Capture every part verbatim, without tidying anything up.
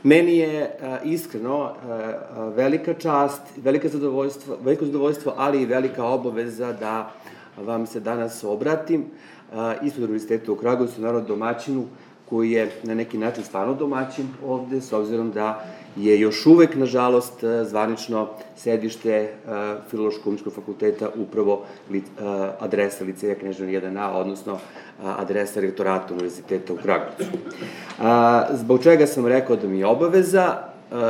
Meni je iskreno velika čast, veliko zadovoljstvo, veliko zadovoljstvo, ali i velika obaveza da vam se danas obratim ispred Univerziteta u Kragujevcu, naravno domaćinu, koji je na neki način stvarno domaćin ovde, s obzirom da je još uvek, nažalost, zvanično sedište Filološko-umetničkog fakulteta upravo adresa Liceja Kneževina jedan A, odnosno adresa rektorata Univerziteta u Kragujevcu. Zbog čega sam rekao da mi je obaveza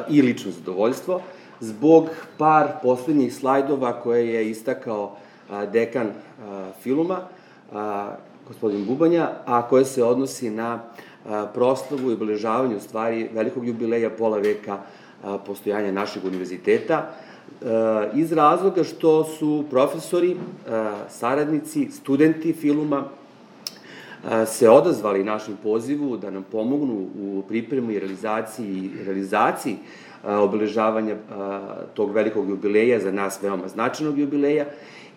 i lično zadovoljstvo? Zbog par poslednjih slajdova koje je istakao dekan Filuma, gospodin Bubanja, a koje se odnosi na proslavu i obeležavanju stvari velikog jubileja pola veka postojanja našeg univerziteta, iz razloga što su profesori, saradnici, studenti Filuma se odazvali našem pozivu da nam pomognu u pripremu i realizaciji, realizaciji obeležavanja tog velikog jubileja, za nas veoma značajnog jubileja,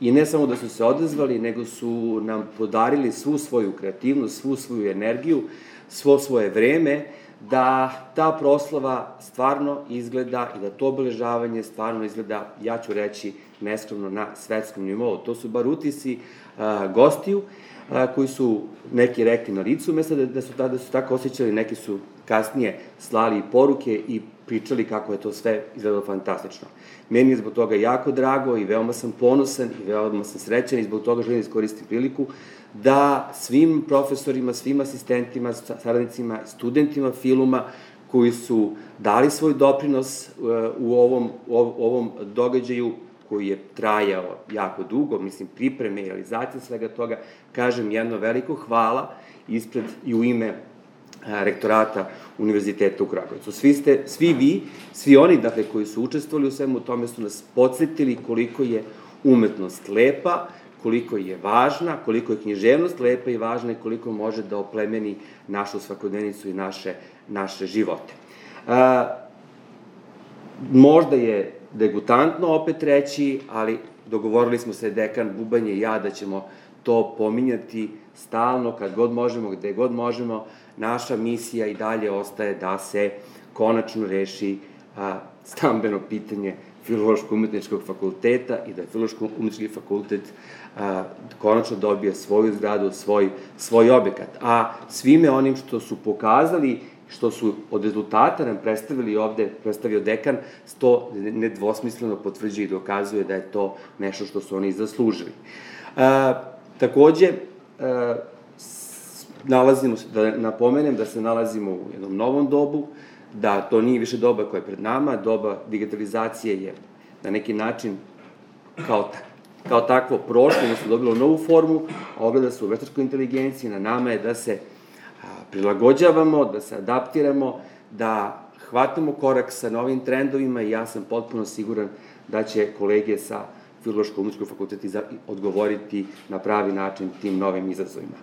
i ne samo da su se odazvali, nego su nam podarili svu svoju kreativnost, svu svoju energiju, svo svoje vreme, da ta proslava stvarno izgleda i da to obeležavanje stvarno izgleda, ja ću reći, neskromno na svetskom nivou. To su bar utisi gostiju, koji su neki rekli na licu mesta da su tada su tako osjećali, neki su kasnije slali poruke i pričali kako je to sve izgledalo fantastično. Meni je zbog toga jako drago i veoma sam ponosan i veoma sam srećan i zbog toga želim iskoristiti priliku da svim profesorima, svim asistentima, saradnicima, studentima Filuma koji su dali svoj doprinos u ovom, u ovom događaju koji je trajao jako dugo, mislim, pripreme i realizacije svega toga, kažem jedno veliko hvala ispred i u ime rektorata Univerziteta u Kragujevcu. Svi ste, svi vi, svi oni, dakle, koji su učestvovali u svemu tome su nas podsjetili koliko je umetnost lepa, koliko je važna, koliko je književnost lepa i važna i koliko može da oplemeni našu svakodnevnicu i naše, naše živote. Možda je degutantno opet reći, ali dogovorili smo se dekan Bubanje i ja da ćemo to pominjati stalno, kad god možemo, gde god možemo. Naša misija i dalje ostaje da se konačno reši stambeno pitanje Filološko-umetničkog fakulteta i da Filološko-umetnički fakultet konačno dobije svoju zgradu, svoj, svoj objekat. A svime onim što su pokazali, što su od rezultata nam predstavili ovde, predstavio dekan, to nedvosmisleno potvrđuje i dokazuje da je to nešto što su oni zaslužili. Takođe, nalazimo se, da napomenem da se nalazimo u jednom novom dobu, da to nije više doba koja je pred nama, doba digitalizacije je na neki način kao, kao takvo prošlo, odnosno dobilo novu formu, ogleda se u veštačkoj inteligenciji, na nama je da se prilagođavamo, da se adaptiramo, da hvatamo korak sa novim trendovima i ja sam potpuno siguran da će kolege sa Filološko-umetničkog fakulteta odgovoriti na pravi način tim novim izazovima.